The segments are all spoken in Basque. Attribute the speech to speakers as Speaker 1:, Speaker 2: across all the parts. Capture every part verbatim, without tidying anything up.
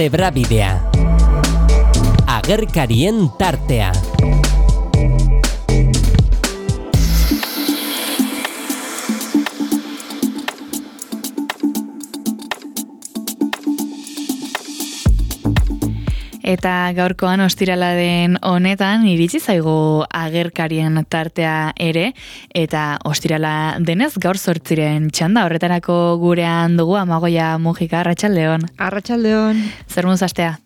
Speaker 1: Zebrabidea. Agerkarien tartea.
Speaker 2: Eta gaurkoan ostirala den honetan iritsi zaigu agerkarien tartea ere, eta ostirala denez gaur zortziren txanda horretarako gurean dugu Amagoia Mujika. Arratsaldeon.
Speaker 3: Arratsaldeon.
Speaker 2: Zer moduz astea?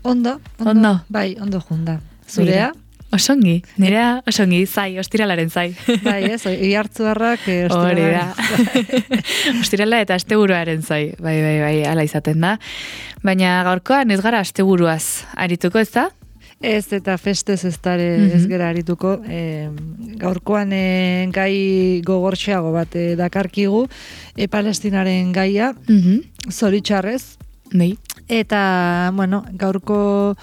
Speaker 3: Ondo, ondo.
Speaker 2: Ondo.
Speaker 3: Bai, ondo junda. Zurea?
Speaker 2: Osongi, nirea osongi, zai, ostiralaren zai.
Speaker 3: Bai, ez, ihartzuarrak eh,
Speaker 2: Hori da. Ostirala eta asteburuaren zai, bai, bai, bai, ala izaten da. Baina gaurkoan ez gara asteburuaz arituko, ez da?
Speaker 3: Ez, eta festez ez dara ez gara arituko. E, gaurkoan e, gai gogortxeago bat e, dakarkigu, e, Palestinaren gaia,
Speaker 2: Mm-hmm.
Speaker 3: zoritxarrez.
Speaker 2: Nei.
Speaker 3: Eta, bueno, gaurko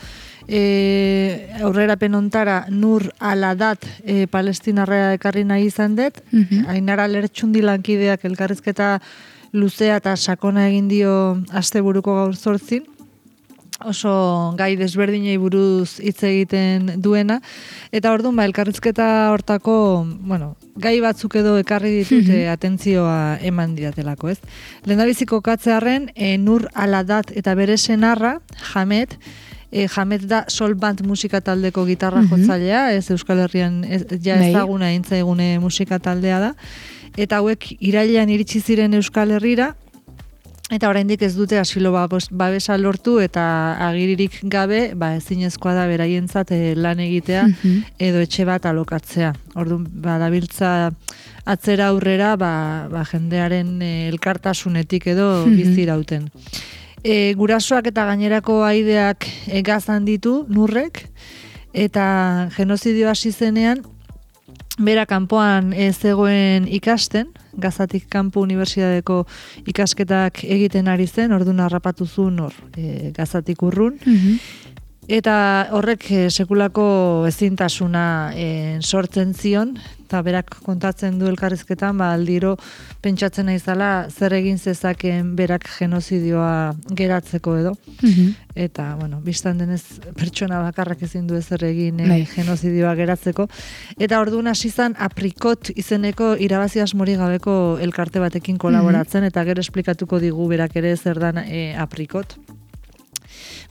Speaker 3: e, aurrerapen ontara Nur Aladat e, palestinarra ekarri nahi izan dut.
Speaker 2: Mm-hmm.
Speaker 3: Ainara Lertxundi lankideak elkarrizketa luzea eta sakona egin dio asteburuko gaur zortzin. Oso gai desberdinei buruz hitz egiten duena. Eta orduan, ba, elkarrizketa hortako, bueno, gai batzuk edo ekarri ditut mm-hmm. e, atentzioa eman didatelako, ez? Lehendabiziko katzearren, e, Nur Aladat eta bere senarra, Hamed, e, Hamed da Sol Band musika taldeko gitarra mm-hmm. jotzailea, ez Euskal Herrian ez, ja ezaguna intzaigune musika taldea da. Eta hauek irailean iritsi ziren Euskal Herrira, eta oraindik ez dute asilo babesa lortu eta agiririk gabe, ba ezinezkoa da beraientzat e, lan egitea mm-hmm. edo etxe bat alokatzea. Orduan, ba dabiltza atzera aurrera, ba, ba jendearen e, elkartasunetik edo mm-hmm. bizirauten. E, gurasoak eta gainerako aideak e, gazan ditu Nurrek, eta genozidio hasi zenean, bera kanpoan ez zegoen ikasten, Gazatik kanpo unibertsitateko ikasketak egiten ari zen, orduan harrapatu zuen hor, e, Gazatik urrun.
Speaker 2: Mm-hmm.
Speaker 3: Eta horrek e, sekulako ezintasuna e, sortzen zion, eta berak kontatzen du elkarrizketan, ba, aldiro pentsatzen naizala zer egin zezakeen berak genozidioa geratzeko edo.
Speaker 2: Mm-hmm.
Speaker 3: Eta, bueno, biztan denez pertsona bakarrak ezin du ezer egin e,
Speaker 2: Bai.
Speaker 3: genozidioa geratzeko. Eta orduan hasi izan Aprikot izeneko irabazi asmori gabeko elkarte batekin kolaboratzen, mm-hmm. eta gero esplikatuko digu berak ere zer dan e, Aprikot.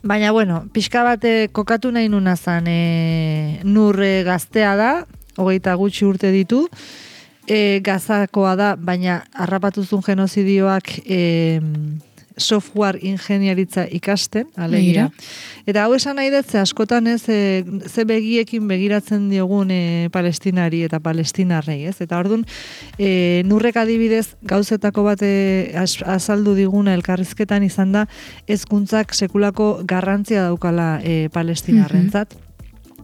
Speaker 3: Baina, bueno, pixka bate kokatu nahi nuna zan, e, Nur e, gaztea da, hogeita gutxi urte ditu, e, Gazakoa da, baina harrapatuzun genozidioak e, software ingeniaritza ikasten, alegia. Eta hau esan nahi dut, ze askotan ez, e, ze begiekin begiratzen diogun e, palestinari eta palestinarrei, ez? Eta orduan, e, Nurrek adibidez, gauzetako bat e, azaldu diguna elkarrizketan izan da, hezkuntzak sekulako garrantzia daukala e, palestinarrentzat. Mm-hmm.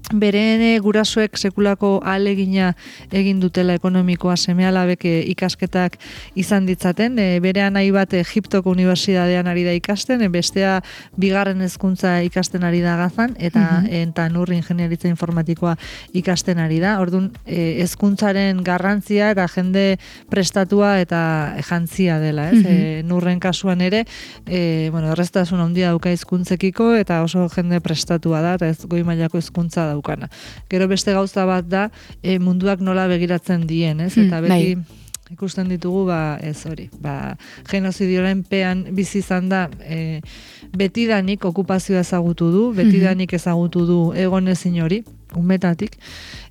Speaker 3: Beren gurasoek sekulako ahalegina egin dutela ekonomikoa seme-alabek ikasketak izan ditzaten. E, bere anai bat Egiptoko unibertsitatean ari da ikasten, e, bestea bigarren hezkuntza ikasten ari da Gazan, eta mm-hmm. eta Nur ingeniaritza informatikoa ikasten ari da. Orduan, e, hezkuntzaren garrantzia eta jende prestatua eta jantzia dela, ez? Mm-hmm. E, Nurren kasuan ere, e, bueno, erreztasun handia dauka hizkuntzekiko eta oso jende prestatua da, eta ez goi mailako hezkuntza da daukana. Gero beste gauza bat da e, munduak nola begiratzen dien, ez? Eta beti ikusten ditugu, ba, ez hori, ba, genozidioaren pean bizi izan da, e, betidanik okupazioa ezagutu du, betidanik ezagutu du egon ezin hori, umetatik,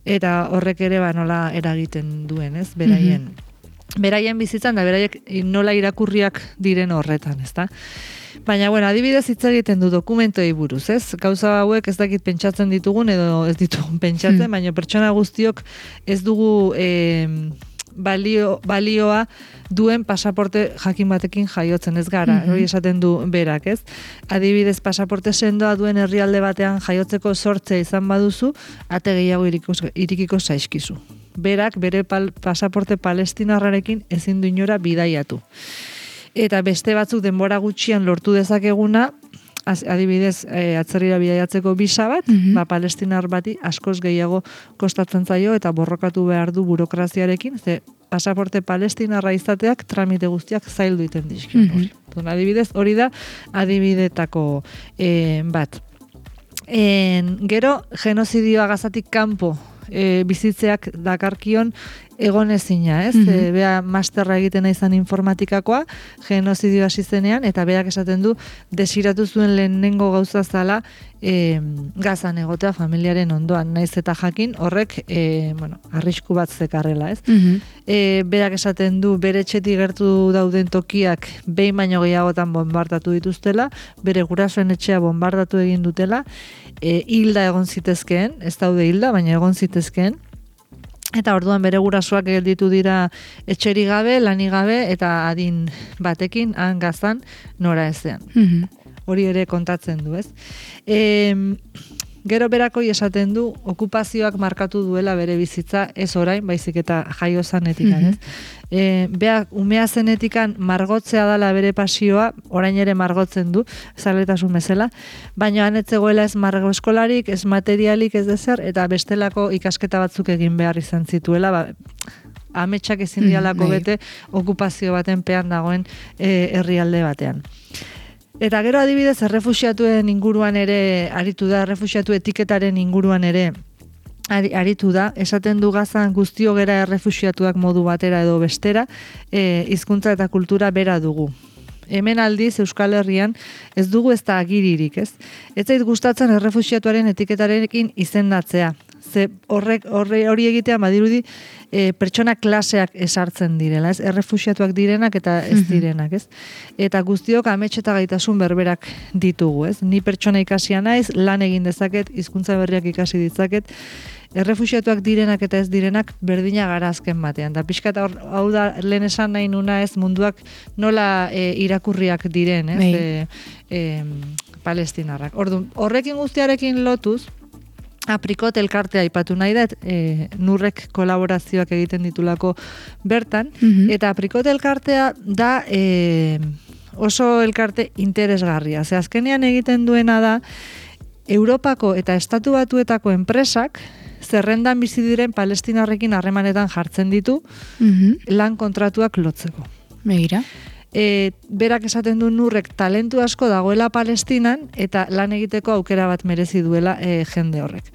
Speaker 3: eta horrek ere ba, nola eragiten duen, ez? Beraien, beraien bizitzan da, beraiek nola irakurriak diren horretan, ez da? Baina, bueno, adibidez hitz egiten du dokumentoei buruz, ez? Gauza hauek ez dakit pentsatzen ditugun edo ez ditugun pentsatzen, hmm. baina pertsona guztiok ez dugu e, balio, balioa duen pasaporte jakin batekin jaiotzen ez gara, hori mm-hmm. esaten du berak, ez? Adibidez, pasaporte sendoa duen herrialde batean jaiotzeko sortzea izan baduzu, ate gehiago irikiko zaizkizu. Berak, bere pal, pasaporte palestinarrarekin ezin du inora bidaiatu. Eta beste batzuk denbora gutxian lortu dezakeguna, adibidez, e, atzerrira bidaiatzeko bisa bat, mm-hmm. ba, palestinar bati askoz gehiago kostatzen zaio eta borrokatu behar du burokraziarekin, ze pasaporte palestinarra izateak tramite guztiak zaildu iten dizkio. Mm-hmm. Adibidez, hori da adibidetako e, bat. En, gero, genozidioa Gazatik kanpo e, bizitzeak dakarkion egonezina, ez? Mm-hmm. E, bea masterra egiten izan informatikakoa, genozidioa hasi zenean, eta beak esaten du, desiratu zuen lehenengo gauza zala e, Gazan egotea familiaren ondoan, naiz eta jakin horrek, e, bueno, arrisku bat zekarrela, ez? Mm-hmm. E, berak esaten du, bere etxetik gertu dauden tokiak behin baino gehiagotan bombardatu dituztela, bere gurasoen etxea bombardatu egin dutela, e, hilda egon zitezkeen, ez daude hilda, baina egon zitezkeen, eta orduan bere gurasoak gelditu dira etxeri gabe, lani gabe, eta adin batekin, han Gazan, nora ezean. Mm-hmm. Hori ere kontatzen du, ez? E, gero berakoi esaten du, okupazioak markatu duela bere bizitza, ez orain, baizik eta jaio zanetikan, mm-hmm. ez? E, beak umea zenetikan margotzea dala bere pasioa, orain ere margotzen du, zaletasun bezala, baina anetzegoela ez margo eskolarik, ez materialik, ez dezer, eta bestelako ikasketa batzuk egin behar izan zituela, ba, ametsak ezin dialako mm, bete okupazio baten pean dagoen e, herrialde batean. Eta gero adibidez, errefuxiatuen inguruan ere aritu da, errefuxiatu etiketaren inguruan ere aritu da, esaten du Gazan guztio gera errefuxiatuak modu batera edo bestera, e, hizkuntza eta kultura bera dugu. Hemen aldiz Euskal Herrian ez dugu ez da agiririk, ez? Ez zait gustatzen errefuxiatuaren etiketarekin izendatzea. Ze horrek horre hori egitea badirudi e, pertsona klaseak esartzen direla, ez? Errefuxiatuak direnak eta ez direnak, ez? Eta guztiok amets eta gaitasun berberak ditugu, ez? Ni pertsona ikasia naiz, lan egin dezaket, hizkuntza berriak ikasi ditzaket. Errefuxiatuak direnak eta ez direnak berdina gara azken batean. Da pixka eta hau da lehen esan nahi nuna ez munduak nola e, irakurriak diren, ez? E, e, palestinarrak. Orduan, horrekin guztiarekin lotuz, Aprikot elkartea aipatu nahi da, e, nurrek kolaborazioak egiten ditulako bertan, mm-hmm. eta Aprikot elkartea da e, oso elkarte interesgarria. Ze azkenean egiten duena da, Europako eta Estatu Batuetako enpresak zerrendan bizi diren palestinarrekin harremanetan jartzen ditu, mm-hmm. lan kontratuak lotzeko.
Speaker 2: Begira.
Speaker 3: E, berak esaten du nurrek talentu asko dagoela Palestinan eta lan egiteko aukera bat merezi duela e, jende horrek.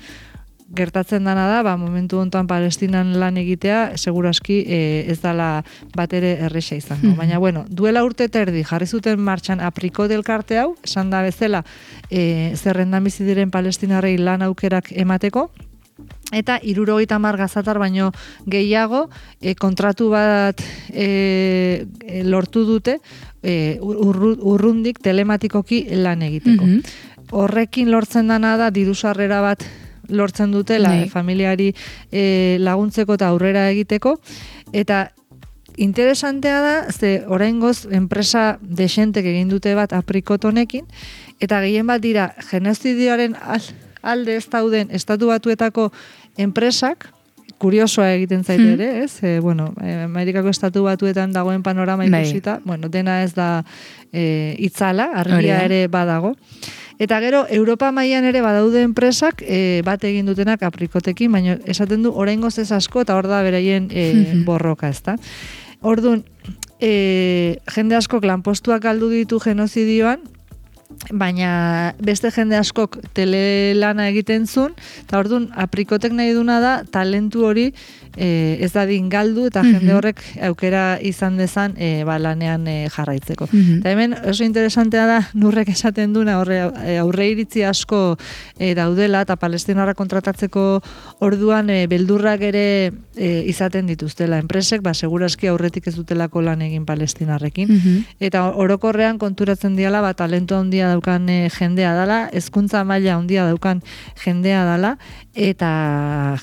Speaker 3: Gertatzen dana da, ba, momentu hontan Palestinan lan egitea, seguraski e, ez dala bat ere erresa izango. Baina, bueno, duela urte terdi jarri zuten martxan Aprikot elkarte hau, esan da bezala e, zerrendan bizi diren palestinarrei lan aukerak emateko, eta hirurogeita hamar gazatar baino gehiago e, kontratu bat e, e, lortu dute e, urru, urrundik telematikoki lan egiteko. Mm-hmm. Horrekin lortzen dana da diru sarrera bat lortzen dutela e, familiari e, laguntzeko eta aurrera egiteko, eta interesantea da, ze oraingoz enpresa desentek egin dute bat Aprikot honekin, eta gehien bat dira genozidioaren alde ez dauden Estatu Batuetako enpresak, kuriosoa egiten zaite ere, ez? E, bueno, Amerikako Estatu Batuetan dagoen panorama ikusita, bueno, dena ez da e, itzala, argia ere badago. Eta gero, Europa mailan ere badaude enpresak e, bat egin dutenak Aprikotekin, baina esaten du oraingoz ez asko, eta hor da beraien e, borroka, ezta? Orduan, e, jende askok lanpostuak galdu ditu genozidioan, baina beste jende askok telelana egiten zuen, eta orduan Aprikotek nahi duna da talentu hori e, ez dadin galdu, eta mm-hmm. jende horrek aukera izan dezan e, ba, lanean e, jarraitzeko. Mm-hmm. Eta hemen oso interesantea da nurrek esaten duna aurre, aurre iritzi asko e, daudela, eta palestinarra kontratatzeko orduan e, beldurrak ere e, izaten dituztela. Enpresek, ba, seguraski aurretik ez dutelako lan egin palestinarrekin. Mm-hmm. Eta orokorrean konturatzen diala, ba, talentu handia daukan e, jendea dala, hezkuntza maila handia daukan jendea dala, eta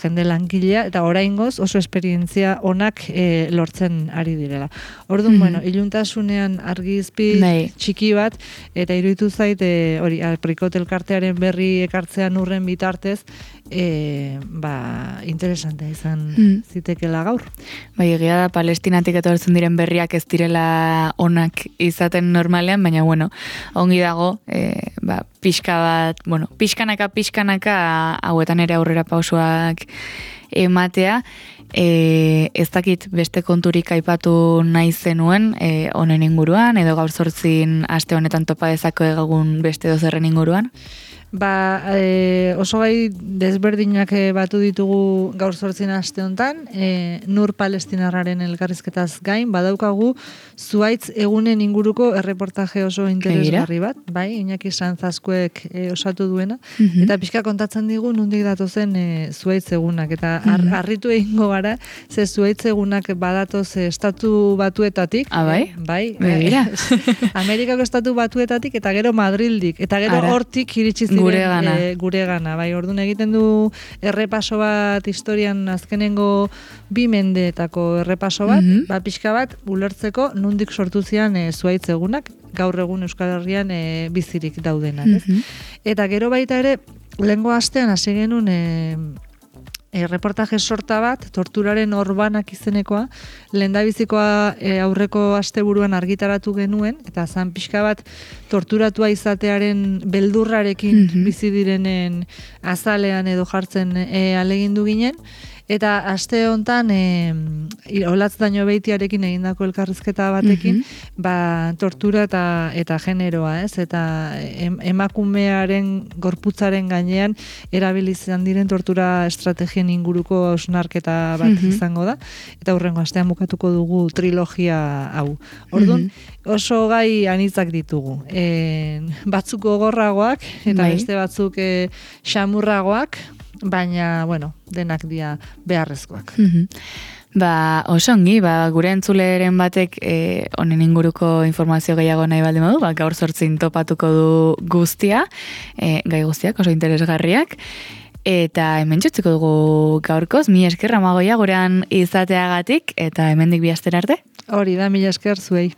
Speaker 3: jende langilea, eta oraingoz oso esperientzia onak e, lortzen ari direla. Orduan, mm-hmm. bueno, iluntasunean argizpi Nei. txiki bat, eta iruditu zait, e, hori, Aprikot elkartearen berri ekartzea nurren bitartez, e, ba, interesantea izan
Speaker 2: Mm.
Speaker 3: zitekela gaur.
Speaker 2: Bai, egia da Palestinatik etortzen diren berriak ez direla onak izaten normalean, baina bueno, ongi dago, e, ba, pixka bat, bueno, pixkanaka, pixkanaka hauetan ere aurrera pausoak ematea, e, ez dakit beste konturik aipatu nahi zenuen e, honen inguruan, edo gaur zortzin aste honetan topa dezako egun beste dozerren inguruan?
Speaker 3: Ba, e, oso gai desberdinak e, batu ditugu gaur zortzin aste honetan, e, Nur Palestinarraren elkarrizketaz gain, badaukagu zuaitz egunen inguruko erreportaje oso interesgarri bat, bai, Iñaki Sanzazkuek e, osatu duena,
Speaker 2: Mhm.
Speaker 3: eta pixka kontatzen digu nondik datozen e, zuaitz egunak, eta ar,
Speaker 2: Mhm.
Speaker 3: harritu egingo gara, ze zuaitz egunak badatoz e, estatu batuetatik,
Speaker 2: Ah, bai?
Speaker 3: e, bai,
Speaker 2: Begira.
Speaker 3: Amerikako estatu batuetatik, eta gero Madrildik, eta gero
Speaker 2: Ara.
Speaker 3: hortik iritsi ziren
Speaker 2: Guregana.
Speaker 3: e, guregana, bai, orduan egiten du errepaso bat historian azkenengo bi mendeetako errepaso bat,
Speaker 2: Mhm.
Speaker 3: ba, pixka bat ulertzeko nondik sortu zian e, zuaitz egunak, gaur egun Euskal Herrian e, bizirik daudenak, ez?
Speaker 2: Mhm.
Speaker 3: Eta gero baita ere, lehengo astean hasi genuen e, e, reportaje sorta bat, torturaren orbanak izenekoa, lehendabizikoa e, aurreko asteburuan argitaratu genuen, eta zan pixka bat torturatua izatearen beldurrarekin
Speaker 2: Mhm.
Speaker 3: bizi direnen azalean edo jartzen e, alegindu ginen, eta aste hontan e, olatz daño beitiarekin egindako elkarrizketa batekin, ba, tortura eta eta generoa, ez? Eta em, emakumearen gorputzaren gainean erabili izan diren tortura estrategien inguruko hausnarketa bat
Speaker 2: Mhm.
Speaker 3: izango da, eta hurrengo astean bukatuko dugu trilogia hau. Orduan, oso gai anitzak ditugu. E, batzuk gogorragoak eta
Speaker 2: Bai.
Speaker 3: beste batzuk e, xamurragoak, baina, bueno, denak dira beharrezkoak.
Speaker 2: Mhm. Ba, oso ongi, ba, gure entzuleren batek e, honen inguruko informazio gehiago nahi baldin badu, ba, gaur zortzin topatuko du guztia, e, gai guztiak oso interesgarriak, eta hemen txutziko dugu gaurkoz, mi eskerra magoia gurean izateagatik, eta hemendik bi astera arte.
Speaker 3: Hori da, mila esker zuei.